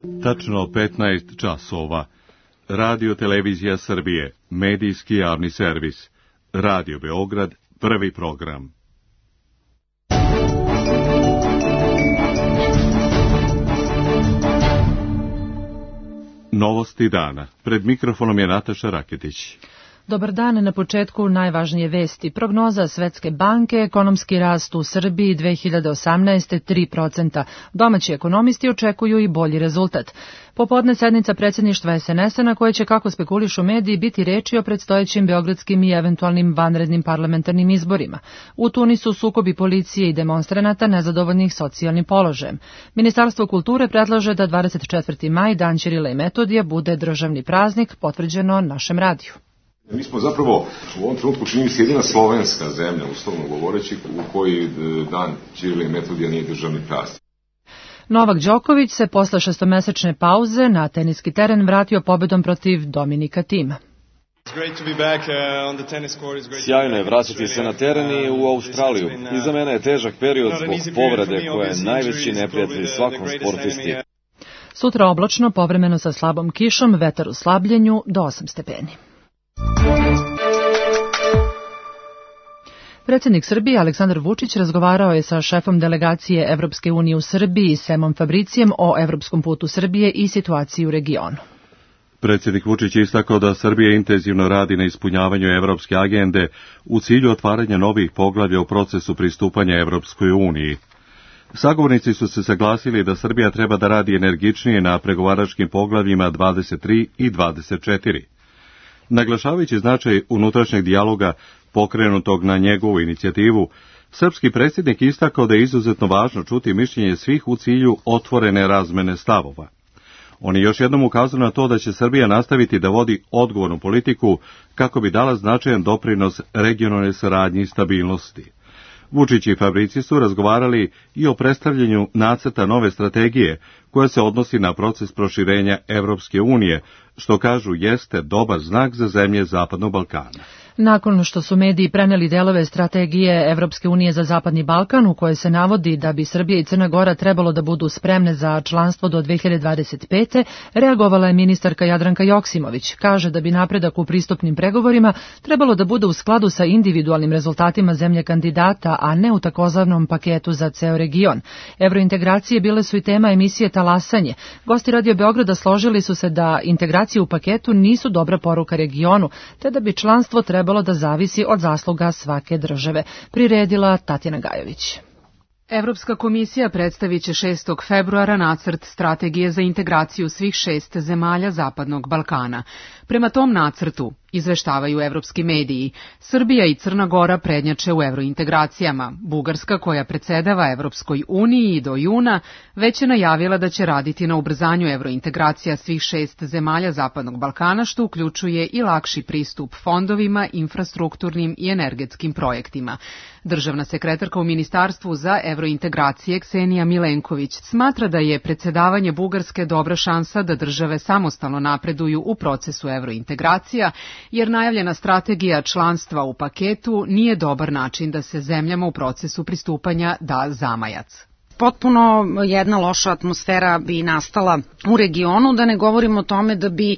Tačno 15 časova. Radio Televizija Srbije, medijski javni servis. Radio Beograd, prvi program. Novosti dana. Pred mikrofonom je Nataša Raketić. Dobar dan, na početku najvažnije vesti. Prognoza Svetske banke, ekonomski rast u Srbiji 2018. 3%. Domaći ekonomisti očekuju i bolji rezultat. Popodne sednica predsjedništva SNS-a na koje će, kako spekulišu mediji, biti reči o predstojećim beogradskim i eventualnim vanrednim parlamentarnim izborima. U Tunisu sukobi policije i demonstranata nezadovoljnih socijalnim položajem. Ministarstvo kulture predlaže da 24. maj, dan Ćirila i Metodija, bude državni praznik, potvrđeno našem radiju. Mi smo zapravo u ovom trenutku, čini mi se, jedina slovenska zemlja, uslovno govoreći, u kojoj dan Ćirila i Metodija nije državni praznik. Sjajno se posle šestomesečne pauze na teniski teren vratio pobedom protiv Dominika Tima. Sjajno je vratiti se na teren i u Australiju. Iza mene je težak period zbog povrede koja je najveći neprijatelj svakom sportisti. Sutra oblačno, povremeno sa slabom kišom, vetar u slabljenju do 8 stepeni. Predsjednik Srbije Aleksandar Vučić razgovarao je sa šefom delegacije Evropske unije u Srbiji, Semom Fabricijem, o evropskom putu Srbije i situaciji u regionu. Predsjednik Vučić je istakao da Srbija intenzivno radi na ispunjavanju evropske agende u cilju otvaranja novih poglavlja u procesu pristupanja Evropskoj uniji. Sagovornici su se saglasili da Srbija treba da radi energičnije na pregovaračkim poglavljima 23 i 24. Naglašavajući značaj unutrašnjeg dijaloga pokrenutog na njegovu inicijativu, srpski predsjednik istakao da je izuzetno važno čuti mišljenje svih u cilju otvorene razmene stavova. On je još jednom ukazao na to da će Srbija nastaviti da vodi odgovornu politiku kako bi dala značajan doprinos regionalnoj saradnji i stabilnosti. Vučić i Fabrici su razgovarali i o predstavljanju nacrta nove strategije koja se odnosi na proces proširenja Evropske unije, što kažu jeste dobar znak za zemlje Zapadnog Balkana. Nakon što su mediji preneli delove strategije Evropske unije za Zapadni Balkan, u kojoj se navodi da bi Srbija i Crna Gora trebalo da budu spremne za članstvo do 2025. reagovala je ministarka Jadranka Joksimović. Kaže da bi napredak u pristupnim pregovorima trebalo da bude u skladu sa individualnim rezultatima zemlje kandidata, a ne u takozvanom paketu za ceo region. Evrointegracije bile su i tema emisije Talasanje. Gosti Radio Beograda složili su se da integracije u paketu nisu dobra poruka regionu, te da bi članstvo trebalo da zavisi od zasluga svake države, priredila Tatjana Gajović. Evropska komisija predstavit će 6. februara nacrt strategije za integraciju svih 6 zemalja Zapadnog Balkana. Prema tom nacrtu, izveštavaju evropski mediji, Srbija i Crna Gora prednjače u evrointegracijama. Bugarska, koja predsedava Evropskoj uniji do juna, već je najavila da će raditi na ubrzanju evrointegracija svih 6 zemalja Zapadnog Balkana, što uključuje i lakši pristup fondovima, infrastrukturnim i energetskim projektima. Državna sekretarka u Ministarstvu za evrointegracije Ksenija Milenković smatra da je predsedavanje Bugarske dobra šansa da države samostalno napreduju u procesu evrointegracija, jer najavljena strategija članstva u paketu nije dobar način da se zemljama u procesu pristupanja da zamajac. Potpuno jedna loša atmosfera bi nastala u regionu, da ne govorimo o tome da bi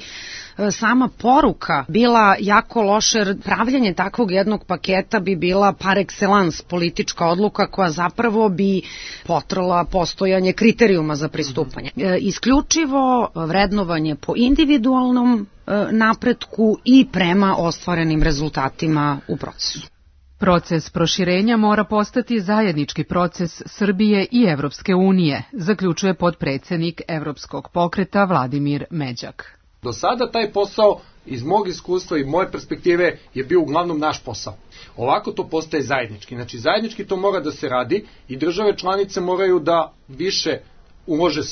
sama poruka bila jako loša, jer pravljanje takvog jednog paketa bi bila par excellence politička odluka koja zapravo bi potrala postojanje kriterijuma za pristupanje. Isključivo vrednovanje po individualnom napretku i prema ostvarenim rezultatima u procesu. Proces proširenja mora postati zajednički proces Srbije i Evropske unije, zaključuje potpredsednik Evropskog pokreta Vladimir Međak. Do sada taj posao iz mog iskustva i moje perspektive je bio uglavnom naš posao. Ovako to postaje zajednički. Znači zajednički to mora da se radi i države članice moraju da više ulože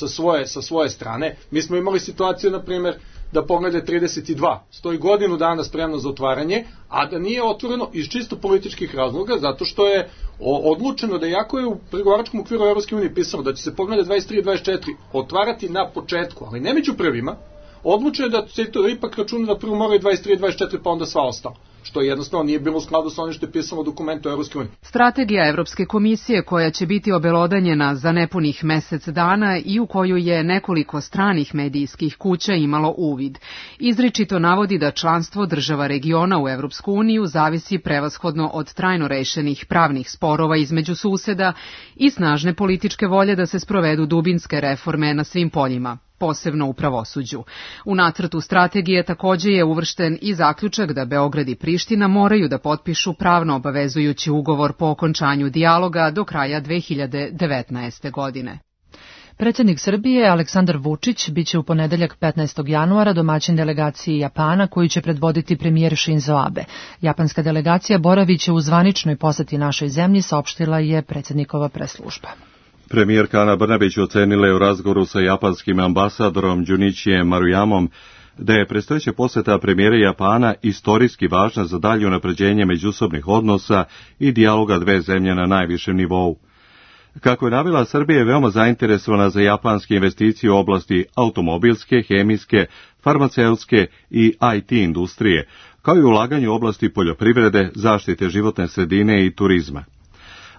sa svoje strane. Mi smo imali situaciju, na primjer, da Poglavlje 32 stoji godinu dana spremno za otvaranje, a da nije otvoreno iz čisto političkih razloga, zato što je odlučeno da iako je u pregovaračkom okviru Evropske unije pisano da će se Poglavlje 23 i 24 otvarati na početku, ali ne među prvima, odlučeno je da se to ipak računa da prvo moraju 23 i 24 pa onda sva ostala. što jednostavno nije bilo u skladu sa onim što je pisalo u dokumentu Evropske unije. Strategija Evropske komisije koja će biti obelodanjena za nepunih mesec dana i u koju je nekoliko stranih medijskih kuća imalo uvid. Izričito navodi da članstvo država regiona u Evropsku uniju zavisi prevashodno od trajno rešenih pravnih sporova između suseda i snažne političke volje da se sprovedu dubinske reforme na svim poljima, posebno u pravosuđu. U nacrtu strategije takođe je uvršten i zaključak da Beograd i Priština moraju da potpišu pravno obavezujući ugovor po okončanju dijaloga do kraja 2019. godine. Predsjednik Srbije Aleksandar Vučić biće u ponedeljak 15. januara domaćin delegaciji Japana koju će predvoditi premijer Shinzo Abe. Japanska delegacija boraviće u zvaničnoj poseti našoj zemlji, saopštila je predsjednikova preslužba. Premijerka Ana Brnabić ocenila je u razgovoru sa japanskim ambasadorom Junichijem Maruyamom da je predstojeća poseta premijera Japana istorijski važna za dalje unapređenje međusobnih odnosa i dijaloga dve zemlje na najvišem nivou. Kako je navela, Srbija je veoma zainteresovana za japanske investicije u oblasti automobilske, hemijske, farmaceutske i IT industrije, kao i ulaganje u oblasti poljoprivrede, zaštite životne sredine i turizma.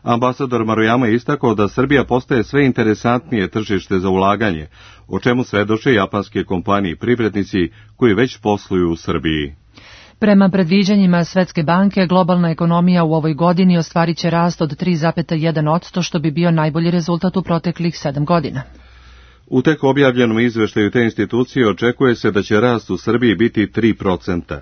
Ambasador Maruyama je istakao da Srbija postaje sve interesantnije tržište za ulaganje, o čemu svedoče japanske kompanije i privrednici koji već posluju u Srbiji. Prema predviđanjima Svetske banke, globalna ekonomija u ovoj godini ostvarit će rast od 3,1%, što bi bio najbolji rezultat u proteklih 7 godina. U tek objavljenom izveštaju te institucije očekuje se da će rast u Srbiji biti 3%.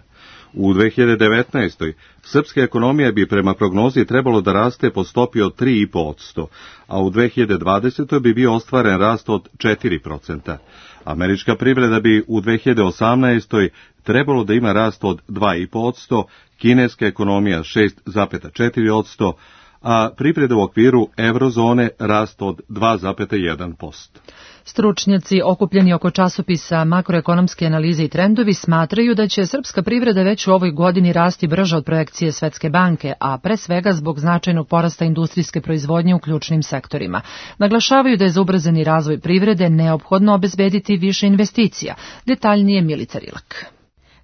U 2019. srpska ekonomija bi prema prognozi trebalo da raste po stopi od 3,5%, a u 2020. bi bio ostvaren rast od 4%. Američka privreda bi u 2018. trebalo da ima rast od 2,5%, kineska ekonomija 6,4%, a privreda u okviru eurozone rast od 2,1%. Stručnjaci okupljeni oko časopisa Makroekonomske analize i trendovi smatraju da će srpska privreda već u ovoj godini rasti brže od projekcije Svetske banke, a pre svega zbog značajnog porasta industrijske proizvodnje u ključnim sektorima. Naglašavaju da je za ubrzani razvoj privrede neophodno obezbediti više investicija. Detaljnije Milica Rilak.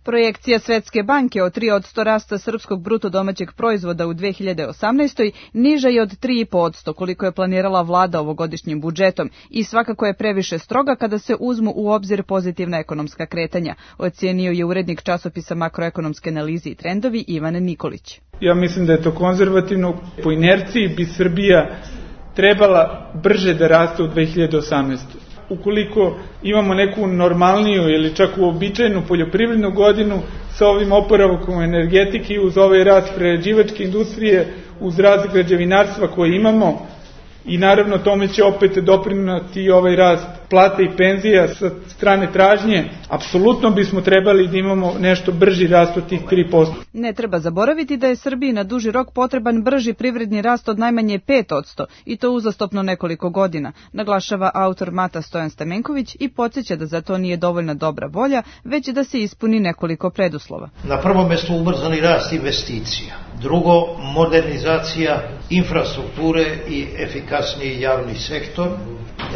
Projekcija Svetske banke od 3% rasta srpskog bruto domaćeg proizvoda u 2018. niža je od 3,5%, koliko je planirala vlada ovogodišnjim budžetom i svakako je previše stroga kada se uzmu u obzir pozitivna ekonomska kretanja, ocenio je urednik časopisa Makroekonomske analize i trendovi Ivan Nikolić. Ja mislim da je to konzervativno. Po inerciji bi Srbija trebala brže da raste u 2018. Ukoliko imamo neku normalniju ili čak uobičajenu poljoprivrednu godinu sa ovim oporavkom energetike uz ovaj rast prerađivačke industrije, uz rast građevinarstva koje imamo i naravno tome će opet doprineti ovaj rast plata i penzija sa strane tražnje, apsolutno bismo trebali da imamo nešto brži rast od tih 3%. Ne treba zaboraviti da je Srbiji na duži rok potreban brži privredni rast od najmanje 5% i to uzastopno nekoliko godina, naglašava autor Mata Stojan Stamenković i podsjeća da za to nije dovoljna dobra volja, već da se ispuni nekoliko preduslova. Na prvom mestu ubrzani rast investicija, drugo modernizacija infrastrukture i efikasniji javni sektor.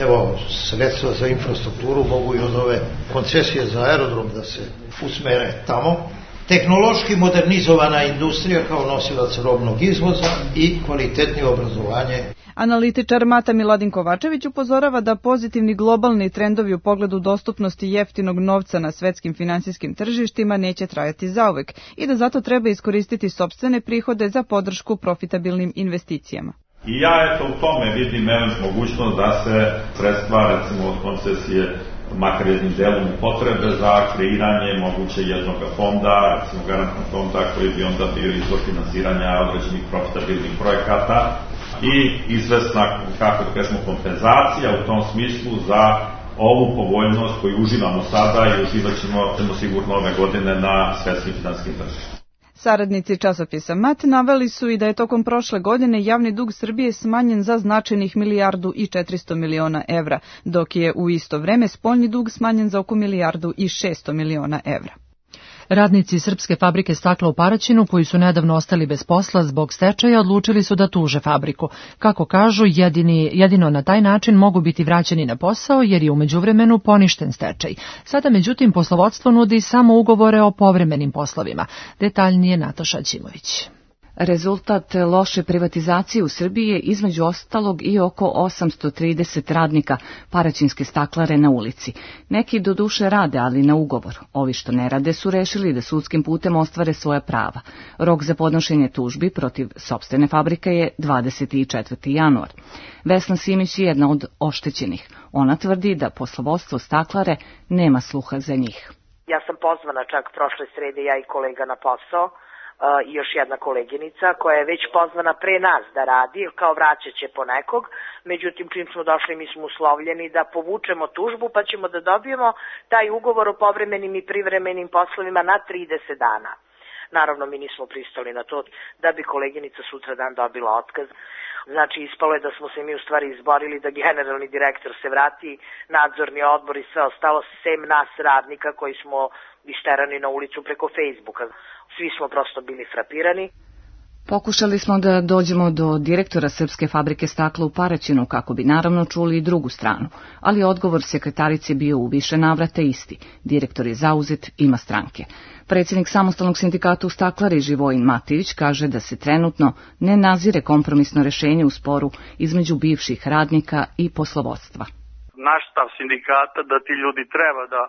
Evo, sredstva za infrastrukturu mogu i od ove koncesije za aerodrom da se usmere tamo. Tehnološki modernizovana industrija kao nosilac robnog izvoza i kvalitetnije obrazovanje. Analitičar Mata Miladin Kovačević upozorava da pozitivni globalni trendovi u pogledu dostupnosti jeftinog novca na svetskim finansijskim tržištima neće trajati zauvek i da zato treba iskoristiti sopstvene prihode za podršku profitabilnim investicijama. I ja u tome vidim mogućnost da se sredstva recimo od koncesije makar jednim delom potrebe za kreiranje moguće jednog fonda, recimo garantnog fonda koji bi onda bio izvor finansiranja određenih profitabilnih projekata i izvesna, kako da kažemo, kompenzacija u tom smislu za ovu povoljnost koju uživamo sada i uživat ćemo sigurno ove godine na svetskim finansijskim tržištima. Saradnici časopisa MAT naveli su i da je tokom prošle godine javni dug Srbije smanjen za značajnih 1,4 milijardi evra, dok je u isto vreme spoljni dug smanjen za oko 1,6 milijardi evra. Radnici srpske fabrike stakla u Paraćinu, koji su nedavno ostali bez posla zbog stečaja, odlučili su da tuže fabriku. Kako kažu, jedino na taj način mogu biti vraćeni na posao, jer je u međuvremenu poništen stečaj. Sada, međutim, poslovodstvo nudi samo ugovore o povremenim poslovima. Detaljnije Nataša Ćimović. Rezultat loše privatizacije u Srbiji je između ostalog i oko 830 radnika paraćinske staklare na ulici. Neki doduše rade, ali na ugovor. Ovi što ne rade su rešili da sudskim putem ostvare svoja prava. Rok za podnošenje tužbi protiv sopstvene fabrike je 24. januar. Vesna Simić je jedna od oštećenih. Ona tvrdi da poslovodstvo staklare nema sluha za njih. Ja sam pozvana čak prošle srede, ja i kolega na posao, i još jedna koleginica koja je već pozvana pre nas da radi, kao vraćat će po nekog, međutim čim smo došli mi smo uslovljeni da povučemo tužbu pa ćemo da dobijemo taj ugovor o povremenim i privremenim poslovima na 30 dana. Naravno mi nismo pristali na to da bi koleginica sutra dan dobila otkaz. Znači ispalo je da smo se mi u stvari izborili da generalni direktor se vrati, nadzorni odbor i sve ostalo, sem nas radnika koji smo isterani na ulicu preko Facebooka. Svi smo prosto bili frapirani. Pokušali smo da dođemo do direktora Srpske fabrike stakla u Paraćinu kako bi naravno čuli i drugu stranu, ali odgovor sekretarice bio u više navrata isti. Direktor je zauzet, ima stranke. Predsjednik samostalnog sindikata u staklari Živojin Mativić kaže da se trenutno ne nazire kompromisno rešenje u sporu između bivših radnika i poslovodstva. Naš stav sindikata da ti ljudi treba da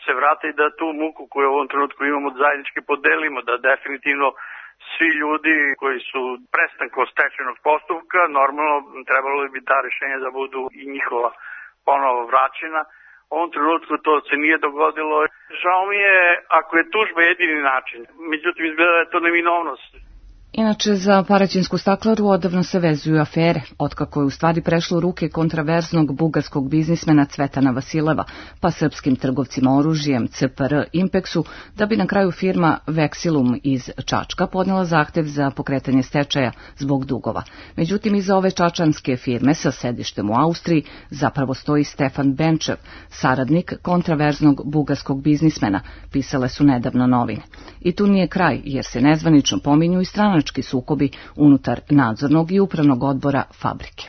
se vrate i da tu muku koju u ovom trenutku imamo zajednički podelimo, da definitivno svi ljudi koji su prestankom stečajnog postupka, normalno trebalo bi ta rešenja da budu i njihova ponovo vraćena. U ovom trenutku to se nije dogodilo. Žao mi je ako je tužba jedini način, međutim izgleda da je to neminovnost. Inače, za paraćinsku staklaru odavno se vezuju afere, otkako je u stvari prešlo u ruke kontraverznog bugarskog biznismena Cvetana Vasileva, pa srpskim trgovcima oružjem CPR Impexu, da bi na kraju firma Vexilum iz Čačka podnela zahtev za pokretanje stečaja zbog dugova. Međutim, iza ove čačanske firme sa sedištem u Austriji zapravo stoji Stefan Benčev, saradnik kontraverznog bugarskog biznismena, pisale su nedavno novine. I tu nije kraj, jer se nezvanično pominju i stranački sukobi unutar nadzornog i upravnog odbora fabrike.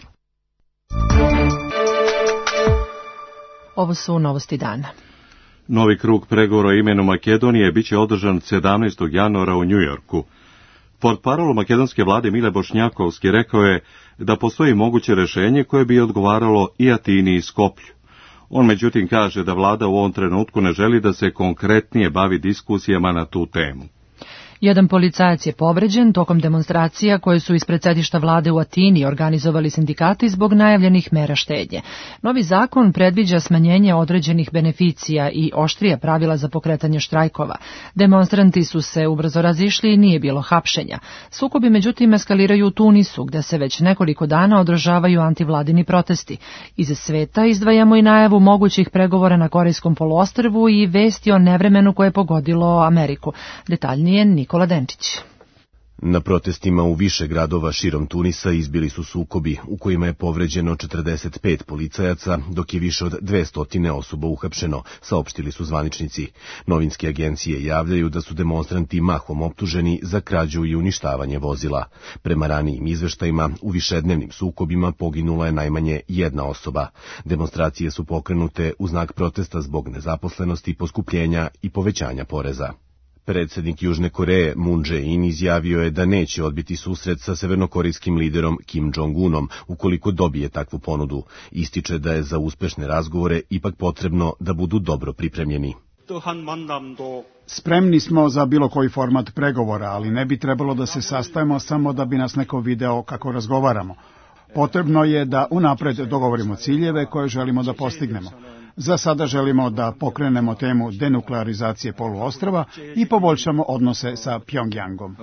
Ovo su novosti dana. Novi krug pregovora o imenu Makedonije biće održan 17. januara u Njujorku. Portparol makedonske vlade Mile Bošnjakovski rekao je da postoji moguće rešenje koje bi odgovaralo i Atini i Skoplju. On međutim kaže da vlada u ovom trenutku ne želi da se konkretnije bavi diskusijama na tu temu. Jedan policajac je povređen tokom demonstracija koje su ispred sedišta vlade u Atini organizovali sindikati zbog najavljenih mera štednje. Novi zakon predviđa smanjenje određenih beneficija i oštrija pravila za pokretanje štrajkova. Demonstranti su se ubrzo razišli i nije bilo hapšenja. Sukobi međutim eskaliraju u Tunisu, gde se već nekoliko dana održavaju antivladini protesti. Iz sveta izdvajamo i najavu mogućih pregovora na Korejskom poluostrvu i vesti o nevremenu koje je pogodilo Ameriku. Detaljnije Nikola Denčić. Na protestima u više gradova širom Tunisa izbili su sukobi u kojima je povređeno 45 policajaca, dok je više od 200 osoba uhapšeno, saopštili su zvaničnici. Novinske agencije javljaju da su demonstranti mahom optuženi za krađu i uništavanje vozila. Prema ranijim izveštajima, u višednevnim sukobima poginula je najmanje jedna osoba. Demonstracije su pokrenute u znak protesta zbog nezaposlenosti, poskupljenja i povećanja poreza. Predsjednik Južne Koreje Moon Jae-in izjavio je da neće odbiti susret sa severnokorejskim liderom Kim Jong-unom ukoliko dobije takvu ponudu. Ističe da je za uspešne razgovore ipak potrebno da budu dobro pripremljeni. Spremni smo za bilo koji format pregovora, ali ne bi trebalo da se sastajemo samo da bi nas neko video kako razgovaramo. Potrebno je da unapred dogovorimo ciljeve koje želimo da postignemo. Za sada želimo da pokrenemo temu denuklearizacije poluostrva i poboljšamo odnose sa Pjongjangom.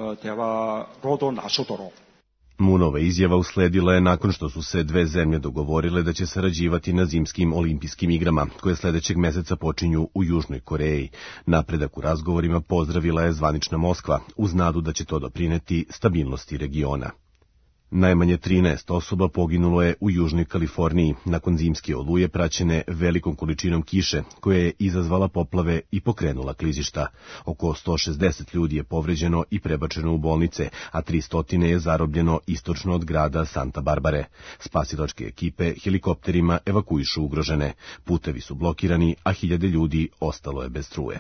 Moonova izjava usledila je nakon što su se dve zemlje dogovorile da će sarađivati na zimskim olimpijskim igrama, koje sledećeg meseca počinju u Južnoj Koreji. Napredak u razgovorima pozdravila je zvanična Moskva, uz nadu da će to doprineti stabilnosti regiona. Najmanje 13 osoba poginulo je u Južnoj Kaliforniji nakon zimske oluje praćene velikom količinom kiše koja je izazvala poplave i pokrenula klizišta. Oko 160 ljudi je povređeno i prebačeno u bolnice, a 300 je zarobljeno istočno od grada Santa Barbare. Spasilačke ekipe helikopterima evakuišu ugrožene. Putevi su blokirani, a hiljade ljudi ostalo je bez struje.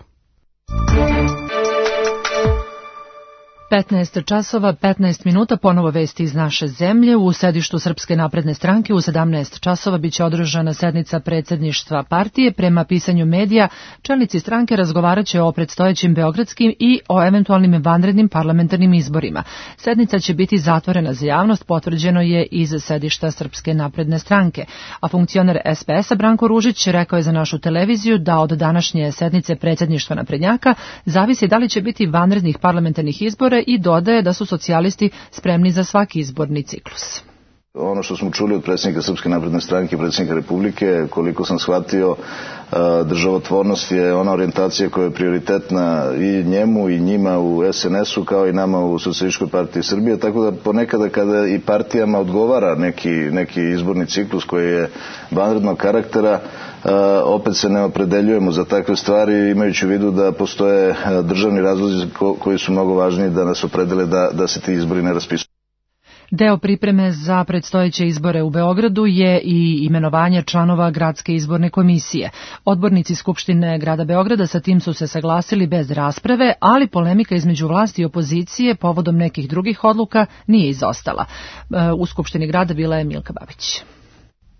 15 časova, 15 minuta, ponovo vesti iz naše zemlje. U sedištu Srpske napredne stranke u 17 časova biće održana sednica predsjedništva partije. Prema pisanju medija, čelnici stranke razgovaraće o predstojećim beogradskim i o eventualnim vanrednim parlamentarnim izborima. Sednica će biti zatvorena za javnost, potvrđeno je iz sedišta Srpske napredne stranke. A funkcioner SPS-a Branko Ružić rekao je za našu televiziju da od današnje sednice predsjedništva naprednjaka zavisi da li će biti vanrednih parlamentarnih izbora i dodaje da su socijalisti spremni za svaki izborni ciklus. Ono što smo čuli od predsjednika Srpske napredne stranke i predsjednika Republike, koliko sam shvatio, državotvornost je ona orijentacija koja je prioritetna i njemu i njima u SNS-u kao i nama u Socijalističkoj partiji Srbije, tako da ponekada kada i partijama odgovara neki izborni ciklus koji je vanrednog karaktera, opet se ne opredeljujemo za takve stvari, imajući u vidu da postoje državni razlozi koji su mnogo važniji da nas opredele da se ti izbori ne raspisuju. Deo pripreme za predstojeće izbore u Beogradu je i imenovanje članova Gradske izborne komisije. Odbornici Skupštine grada Beograda sa tim su se saglasili bez rasprave, ali polemika između vlasti i opozicije povodom nekih drugih odluka nije izostala. U Skupštini grada bila je Milka Babić.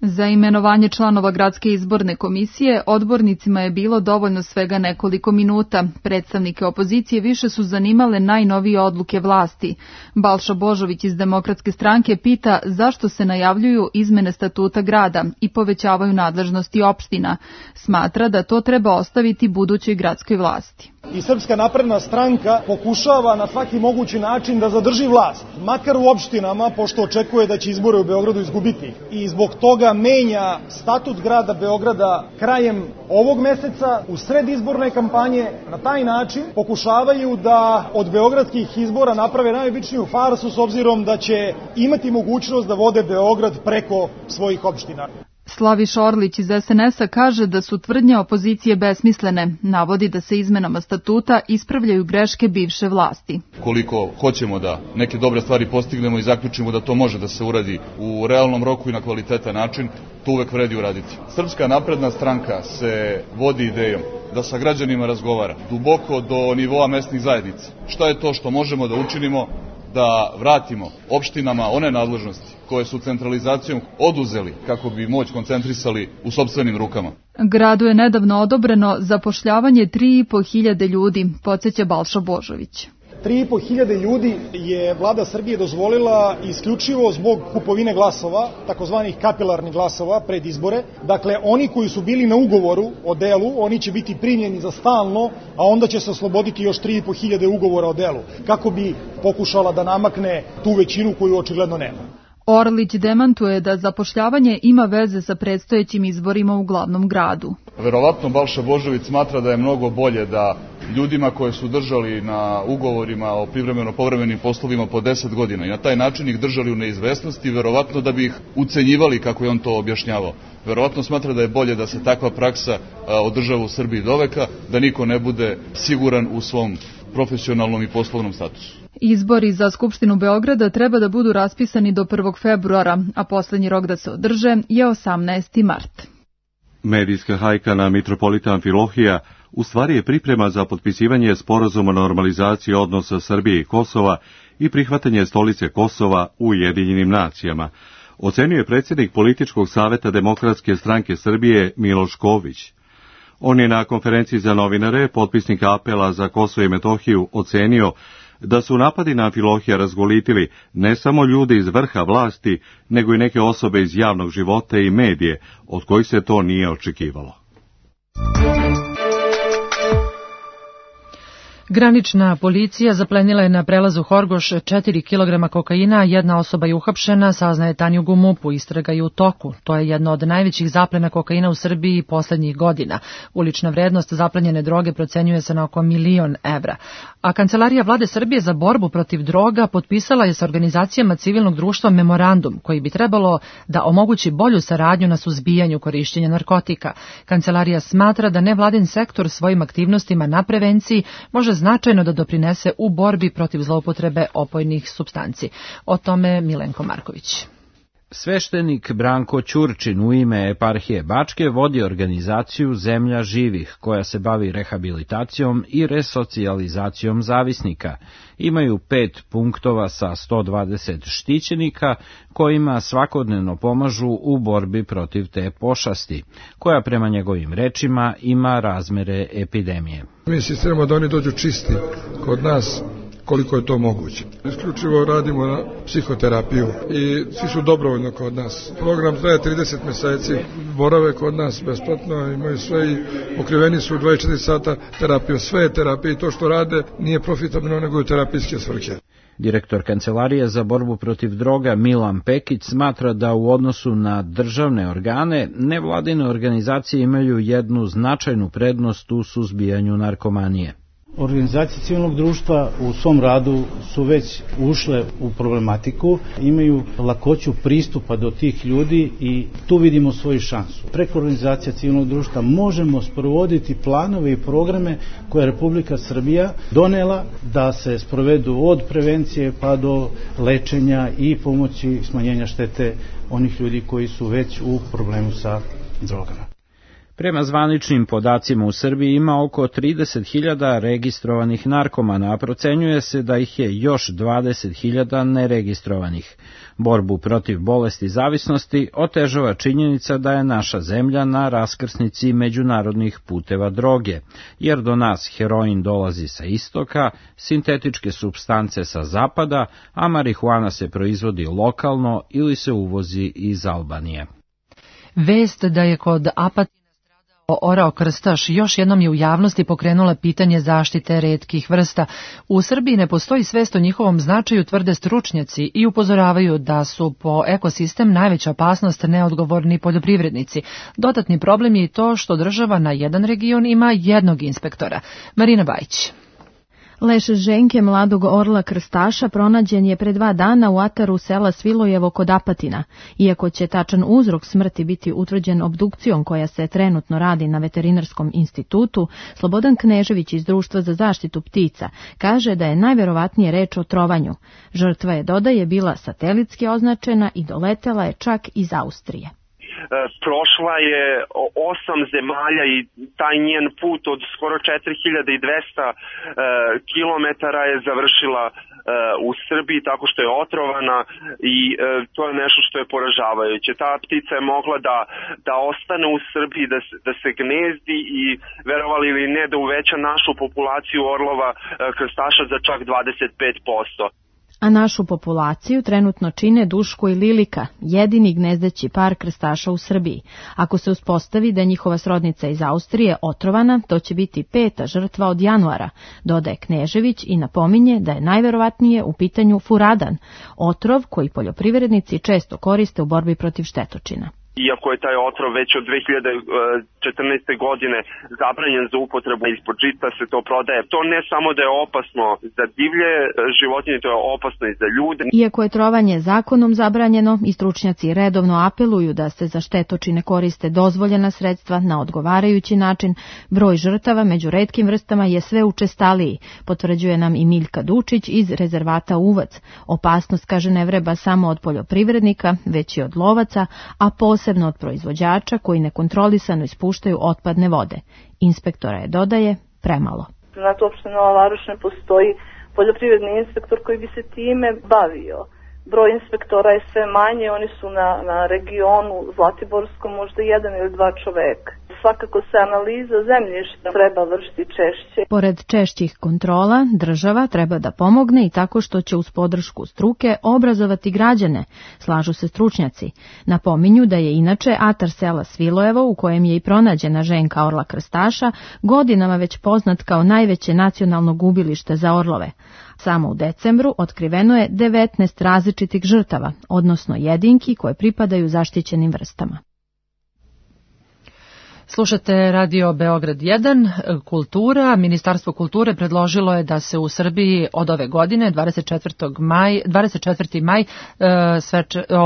Za imenovanje članova Gradske izborne komisije odbornicima je bilo dovoljno svega nekoliko minuta. Predstavnike opozicije više su zanimale najnovije odluke vlasti. Balša Božović iz Demokratske stranke pita zašto se najavljuju izmene statuta grada i povećavaju nadležnosti opština. Smatra da to treba ostaviti budućoj gradskoj vlasti. I Srpska napredna stranka pokušava na svaki mogući način da zadrži vlast, makar u opštinama, pošto očekuje da će izbore u Beogradu izgubiti. I zbog toga menja statut grada Beograda krajem ovog meseca, u sred izborne kampanje. Na taj način pokušavaju da od beogradskih izbora naprave najobičniju farsu, s obzirom da će imati mogućnost da vode Beograd preko svojih opština. Slaviš Orlić iz SNS-a kaže da su tvrdnje opozicije besmislene. Navodi da se izmenama statuta ispravljaju greške bivše vlasti. Koliko hoćemo da neke dobre stvari postignemo i zaključimo da to može da se uradi u realnom roku i na kvalitetan način, to uvek vredi uraditi. Srpska napredna stranka se vodi idejom da sa građanima razgovara duboko do nivoa mesnih zajednica. Šta je to što možemo da učinimo da vratimo opštinama one nadležnosti koje su centralizacijom oduzeli kako bi moć koncentrisali u sopstvenim rukama. Gradu je nedavno odobreno zapošljavanje 3.500 ljudi, podsjeća Balša Božović. 3.500 ljudi je vlada Srbije dozvolila isključivo zbog kupovine glasova, takozvanih kapilarnih glasova pred izbore. Dakle, oni koji su bili na ugovoru o delu, oni će biti primljeni za stalno, a onda će se osloboditi još 3.500 ugovora o delu, kako bi pokušala da namakne tu većinu koju očigledno nema. Orlić demantuje da zapošljavanje ima veze sa predstojećim izborima u glavnom gradu. Verovatno Balša Božović smatra da je mnogo bolje da ljudima koje su držali na ugovorima o privremeno-povremenim poslovima po 10 godina i na taj način ih držali u neizvesnosti, verovatno da bi ih ucenjivali kako je on to objašnjavao. Verovatno smatra da je bolje da se takva praksa održava u Srbiji doveka, da niko ne bude siguran u svom profesionalnom i poslovnom statusu. Izbori za Skupštinu Beograda treba da budu raspisani do 1. februara, a poslednji rok da se održe je 18. mart. Medijska hajka na mitropolita Amfilohija u stvari je priprema za potpisivanje sporazuma o normalizaciji odnosa Srbije i Kosova i prihvatanje stolice Kosova u Ujedinjenim nacijama, ocenio je predsjednik Političkog saveta Demokratske stranke Srbije Miloš Ković. On je na konferenciji za novinare, potpisnik apela za Kosovo i Metohiju, ocenio da su napadi na Amfilohija razgolitili ne samo ljude iz vrha vlasti, nego i neke osobe iz javnog života i medije, od kojih se to nije očekivalo. Granična policija zaplenila je na prelazu Horgoš 4 kg kokaina, jedna osoba je uhapšena, saznaje Tanjug u MUP-u, istraga je u toku. To je jedno od najvećih zaplena kokaina u Srbiji poslednjih godina. Ulična vrednost zaplenjene droge procenjuje se na oko 1.000.000 evra. A Kancelarija Vlade Srbije za borbu protiv droga potpisala je sa organizacijama civilnog društva memorandum koji bi trebalo da omogući bolju saradnju na suzbijanju korišćenja narkotika. Kancelarija smatra da nevladin sektor svojim aktivnostima na prevenciji može značajno da doprinese u borbi protiv zloupotrebe opojnih supstanci. O tome Milenko Marković. Sveštenik Branko Ćurčin u ime eparhije Bačke vodi organizaciju Zemlja živih, koja se bavi rehabilitacijom i resocijalizacijom zavisnika. Imaju 5 punktova sa 120 štićenika, kojima svakodnevno pomažu u borbi protiv te pošasti, koja prema njegovim rečima ima razmere epidemije. Mi insistiramo da oni dođu čisti kod nas, koliko je to moguće. Isključivo radimo na psihoterapiju i svi su dobrovoljno kod nas. Program traje 30 meseci, borave kod nas besplatno, imaju sve i pokriveni su 24 sata terapijom. Sve je terapija i to što rade nije profitabilno nego je terapijske svrhe. Direktor Kancelarije za borbu protiv droga Milan Pekić smatra da u odnosu na državne organe nevladine organizacije imaju jednu značajnu prednost u suzbijanju narkomanije. Organizacije civilnog društva u svom radu su već ušle u problematiku, imaju lakoću pristupa do tih ljudi i tu vidimo svoju šansu. Preko organizacija civilnog društva možemo sprovoditi planove i programe koje je Republika Srbija donela da se sprovedu od prevencije pa do lečenja i pomoći smanjenja štete onih ljudi koji su već u problemu sa drogama. Prema zvaničnim podacima u Srbiji ima oko 30.000 registrovanih narkomana, a procenjuje se da ih je još 20.000 neregistrovanih. Borbu protiv bolesti zavisnosti otežava činjenica da je naša zemlja na raskrsnici međunarodnih puteva droge, jer do nas heroin dolazi sa istoka, sintetičke supstance sa zapada, a marihuana se proizvodi lokalno ili se uvozi iz Albanije. Vest da je kod Apatina orao krstaš još jednom je u javnosti pokrenula pitanje zaštite retkih vrsta. U Srbiji ne postoji svest o njihovom značaju, tvrde stručnjaci i upozoravaju da su po ekosistem najveća opasnost neodgovorni poljoprivrednici. Dodatni problem je i to što država na jedan region ima jednog inspektora. Marina Bajić. Leš ženke mladog orla krstaša pronađen je pre 2 dana u ataru sela Svilojevo kod Apatina. Iako će tačan uzrok smrti biti utvrđen obdukcijom koja se trenutno radi na Veterinarskom institutu, Slobodan Knežević iz Društva za zaštitu ptica kaže da je najverovatnije reč o trovanju. Žrtva je, dodaje, bila satelitski označena i doletela je čak iz Austrije. Prošla je 8 zemalja i taj njen put od skoro 4200 kilometara je završila u Srbiji tako što je otrovana i to je nešto što je poražavajuće. Ta ptica je mogla da ostane u Srbiji, da se gnezdi i verovali ili ne da uveća našu populaciju orlova krstaša za čak 25%. A našu populaciju trenutno čine Duško i Lilika, jedini gnezdeći par krstaša u Srbiji. Ako se uspostavi da je njihova srodnica iz Austrije otrovana, to će biti 5. žrtva od januara, dodaje Knežević i napominje da je najverovatnije u pitanju furadan, otrov koji poljoprivrednici često koriste u borbi protiv štetočina. Iako je taj otrov već od 2014. godine zabranjen za upotrebu ispod žita, se to prodaje. To ne samo da je opasno za divlje životinje, to je opasno i za ljude. Iako je trovanje zakonom zabranjeno, i stručnjaci redovno apeluju da se za štetočine koriste dozvoljena sredstva na odgovarajući način, broj žrtava među retkim vrstama je sve učestaliji, potvrđuje nam i Miljka Dučić iz rezervata Uvac. Opasnost, kaže, ne vreba samo od poljoprivrednika, već i od lovaca, a posebno od proizvođača koji nekontrolisano ispuštaju otpadne vode. Inspektora je, dodaje, premalo. Znate, uopšte Nova Varoš ne postoji poljoprivredni inspektor koji bi se time bavio. broj inspektora je sve manje, oni su na regionu Zlatiborskom možda 1 ili 2 čoveka. Svakako se analiza zemljišta treba vršiti češće. Pored češćih kontrola, država treba da pomogne i tako što će uz podršku struke obrazovati građane, slažu se stručnjaci. Napominju da je inače atar sela Svilojevo, u kojem je i pronađena ženka orla krstaša, godinama već poznat kao najveće nacionalno gubilište za orlove. Samo u decembru otkriveno je 19 različitih žrtava, odnosno jedinki koje pripadaju zaštićenim vrstama. Slušate Radio Beograd 1, kultura. Ministarstvo kulture predložilo je da se u Srbiji od ove godine, 24. maj,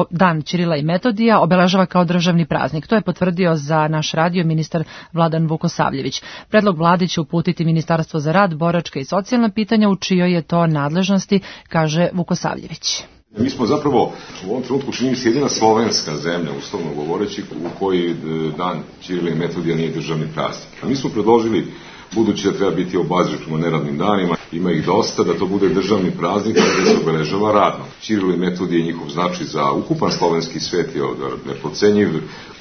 dan Ćirila i Metodija, obeležava kao državni praznik. To je potvrdio za naš radio ministar Vladan Vukosavljević. Predlog vlade će uputiti Ministarstvo za rad, boračka i socijalna pitanja, u čijoj je to nadležnosti, kaže Vukosavljević. Mi smo zapravo u ovom trenutku čini se jedina slovenska zemlja, uslovno govoreći, u kojoj dan Ćirila i Metodija nije državni praznik. Mi smo predložili, budući da treba biti obazriv prema neradnim danima, ima ih dosta, da to bude državni praznik gdje se obeležava radno. Ćirila i Metodija i njihov značaj za ukupan slovenski svet je neprocenjiv,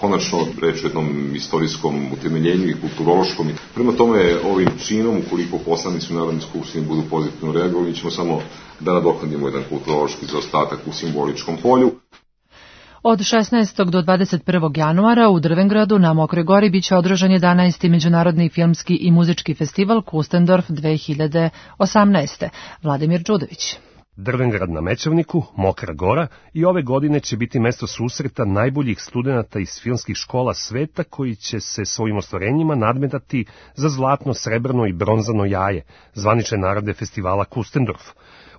konačno reč o jednom istorijskom utemeljenju i kulturološkom. Prema tome, ovim činom, ukoliko poslanici u Narodnoj skupštini budu pozitivno reagovali, mi ćemo samo da nadoknadimo jedan kulturološki zaostatak u simboličkom polju. Od 16. do 21. januara u Drvengradu na Mokroj Gori biće održan 11. Međunarodni filmski i muzički festival Kustendorf 2018. Vladimir Đudović. Drvengrad na Mećavniku, Mokra Gora, i ove godine će biti mesto susreta najboljih studenata iz filmskih škola sveta koji će se svojim ostvarenjima nadmetati za zlatno, srebrno i bronzano jaje, zvanične nagrade festivala Kustendorf.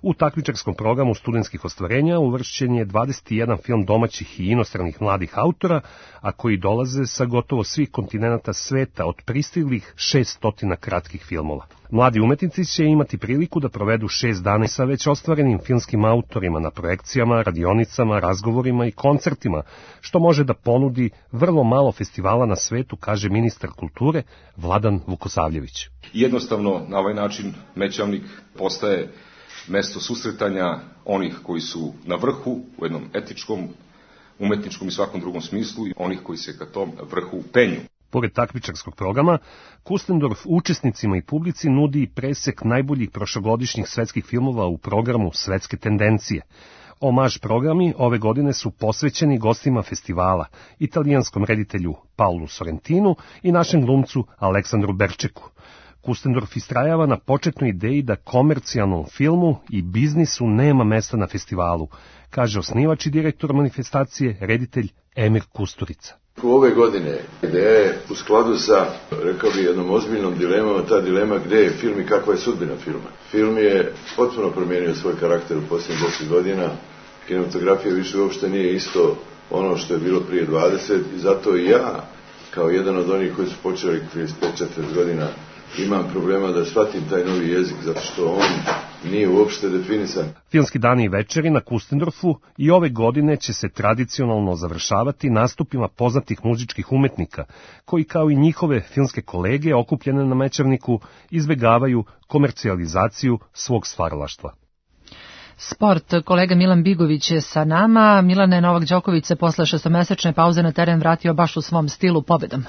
U takmičarskom programu studentskih ostvarenja uvršćen je 21 film domaćih i inostranih mladih autora, a koji dolaze sa gotovo svih kontinenata sveta, od pristiglih 600 kratkih filmova. Mladi umetnici će imati priliku da provedu 6 dana sa već ostvarenim filmskim autorima na projekcijama, radionicama, razgovorima i koncertima, što može da ponudi vrlo malo festivala na svetu, kaže ministar kulture Vladan Vukosavljević. Jednostavno, na ovaj način Mećavnik postaje mesto susretanja onih koji su na vrhu u jednom etičkom, umetničkom i svakom drugom smislu i onih koji se ka tom vrhu penju. Pored takmičarskog programa, Kustendorf učesnicima i publici nudi presek najboljih prošlogodišnjih svetskih filmova u programu Svetske tendencije. Omaž programi ove godine su posvećeni gostima festivala, italijanskom reditelju Paulu Sorrentinu i našem glumcu Aleksandru Berčeku. Kustendorf istrajava na početnoj ideji da komercijalnom filmu i biznisu nema mesta na festivalu, kaže osnivač i direktor manifestacije, reditelj Emir Kusturica. Ove godine ideja je u skladu sa, rekao bi, jednom ozbiljnom dilemom, ta dilema gde je film i kakva je sudbina filma. Film je potpuno promijenio svoj karakter u posljednjih 10 godina, kinematografija više uopšte nije isto ono što je bilo prije 20 i zato i ja, kao jedan od onih koji su počeli 35-40 godina, imam problema da shvatim taj novi jezik, zato što on nije uopšte definisan. Filmski dani i večeri na Kustendorfu i ove godine će se tradicionalno završavati nastupima poznatih muzičkih umetnika, koji kao i njihove filmske kolege okupljene na Mećavniku izbegavaju komercijalizaciju svog stvaralaštva. Sport, kolega Milan Bigović je sa nama. Milane, Novak Đoković se posle 6-mesečne pauze na teren vratio baš u svom stilu pobedom.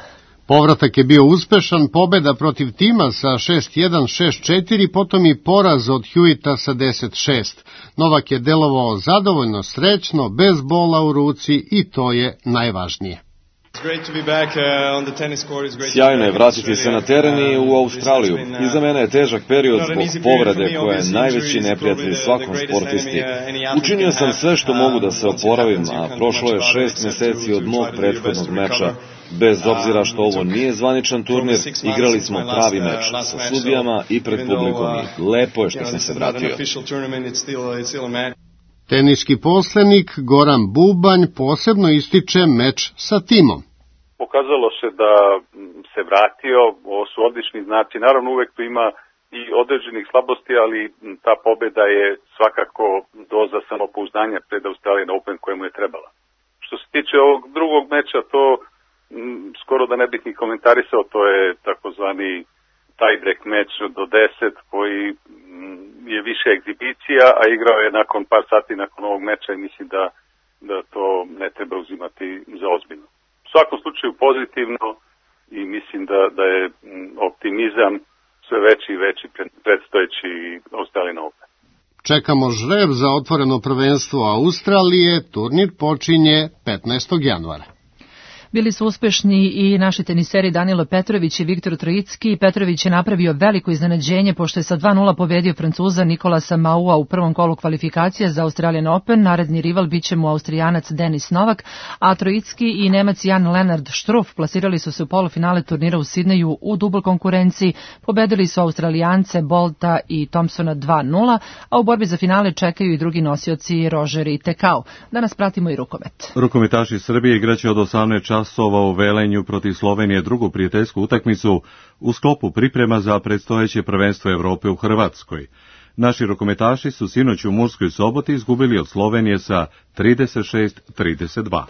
Povratak je bio uspešan, pobeda protiv tima sa 6-1, 6-4, potom i poraz od Hewita sa 10-6. Novak je delovao zadovoljno, srećno, bez bola u ruci i to je najvažnije. Sjajno je vratiti se na teren i u Australiju. Iza mene je težak period zbog povrede koja je najveći neprijatelj svakom sportisti. Učinio sam sve što mogu da se oporavim, a prošlo je 6 meseci od mog prethodnog meča. Bez obzira što ovo nije zvaničan turnir, igrali smo pravi meč sa sudijama i pred publikom i lepo je što sam se vratio. Teniski poslenik Goran Bubanj posebno ističe meč sa timom. Pokazalo se da se vratio, ovo su odlični znaci, naravno uvek tu ima i određenih slabosti, ali ta pobeda je svakako doza samopouzdanja pred Australian Open koja mu je trebala. Što se tiče ovog drugog meča, to skoro da ne bih ni komentarisao, to je takozvani tie-break meč do 10 koji je više egzibicija, a igrao je nakon par sati nakon ovog meča i mislim da to ne treba uzimati za ozbiljno. U svakom slučaju pozitivno i mislim da je optimizam sve veći i veći predstojeći Australian Open. Čekamo žreb za otvoreno prvenstvo Australije, turnir počinje 15. januara. Bili su uspešni i naši teniseri Danilo Petrović i Viktor Trojicki. Petrović je napravio veliko iznenađenje pošto je sa 2:0 pobedio Francuza Nikolasa Maua u prvom kolu kvalifikacija za Australian Open. Naredni rival biće mu Austrijanac Denis Novak, a Trojicki i Nemac Jan Lennard Struff plasirali su se u polufinale turnira u Sidneju u dubl konkurenciji. Pobedili su Australijance Bolta i Thompsona 2:0, a u borbi za finale čekaju i drugi nosioci Roger i Tekau. Danas pratimo i rukomet. Rukometaši Srbije igraće od 18 časova u Velenju protiv Slovenije drugu prijateljsku utakmicu u sklopu priprema za predstojeće prvenstvo Evrope u Hrvatskoj. Naši rukometaši su sinoć u Murskoj Soboti izgubili od Slovenije sa 36-32.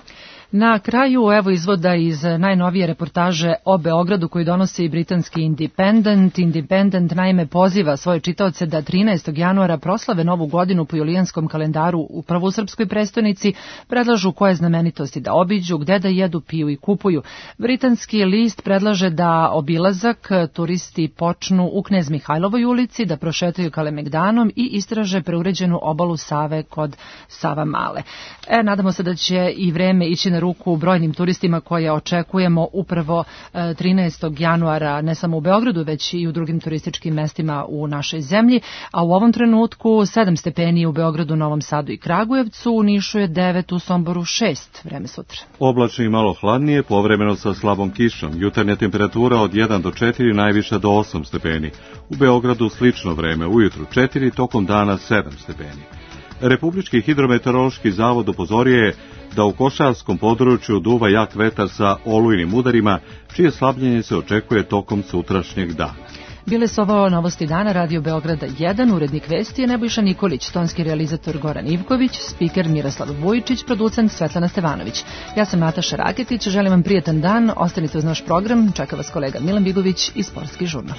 Na kraju evo izvoda iz najnovije reportaže o Beogradu koju donosi britanski Independent. Independent naime poziva svoje čitaoce da 13. januara proslave novu godinu po julijanskom kalendaru upravo u srpskoj prestonici, predlažu koje znamenitosti da obiđu, gde da jedu, piju i kupuju. Britanski list predlaže da obilazak turisti počnu u Knez Mihajlovoj ulici, da prošetaju Kalemegdanom i istraže preuređenu obalu Save kod Savamale. Nadamo se da će i vreme ići na ruku brojnim turistima koje očekujemo upravo 13. januara, ne samo u Beogradu, već i u drugim turističkim mestima u našoj zemlji, a u ovom trenutku 7 stepeni u Beogradu, Novom Sadu i Kragujevcu, u Nišu je 9, u Somboru 6, vreme sutra. Oblačno i malo hladnije, povremeno sa slabom kišom, jutarnja temperatura od 1 do 4, najviša do 8 stepeni. U Beogradu slično vreme, ujutru 4, tokom dana 7 stepeni. Republički hidrometeorološki zavod upozorio je da u košarskom području duva jak vetar sa olujnim udarima, čije slabljenje se očekuje tokom sutrašnjeg dana. Bile su ovo novosti dana, Radio Beograda 1, urednik vesti je Nebojša Nikolić, tonski realizator Goran Ivković, spiker Miroslav Vujičić, producent Svetlana Stevanović. Ja sam Nataša Raketić, želim vam prijetan dan, ostanite uz naš program, čeka vas kolega Milan Bigović i Sportski žurnal.